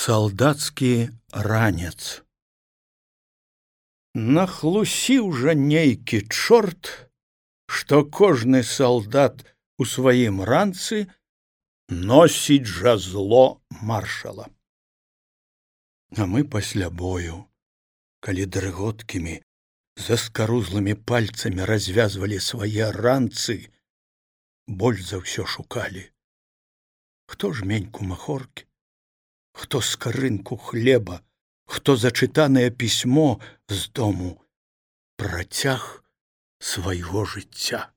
Салдацкі ранец. Нахлусіў жа нейкі чорт, што кожны салдат у сваім ранцы носіць жазло маршала. А мы пасля бою, калі дрыготкімі заскарузлымі пальцамі развязвалі свае ранцы, больш за ўсё шукалі. Хто жменьку махоркі, хто скарынку хлеба, хто зачытанае пісьмо з дому, працяг свайго жыцця.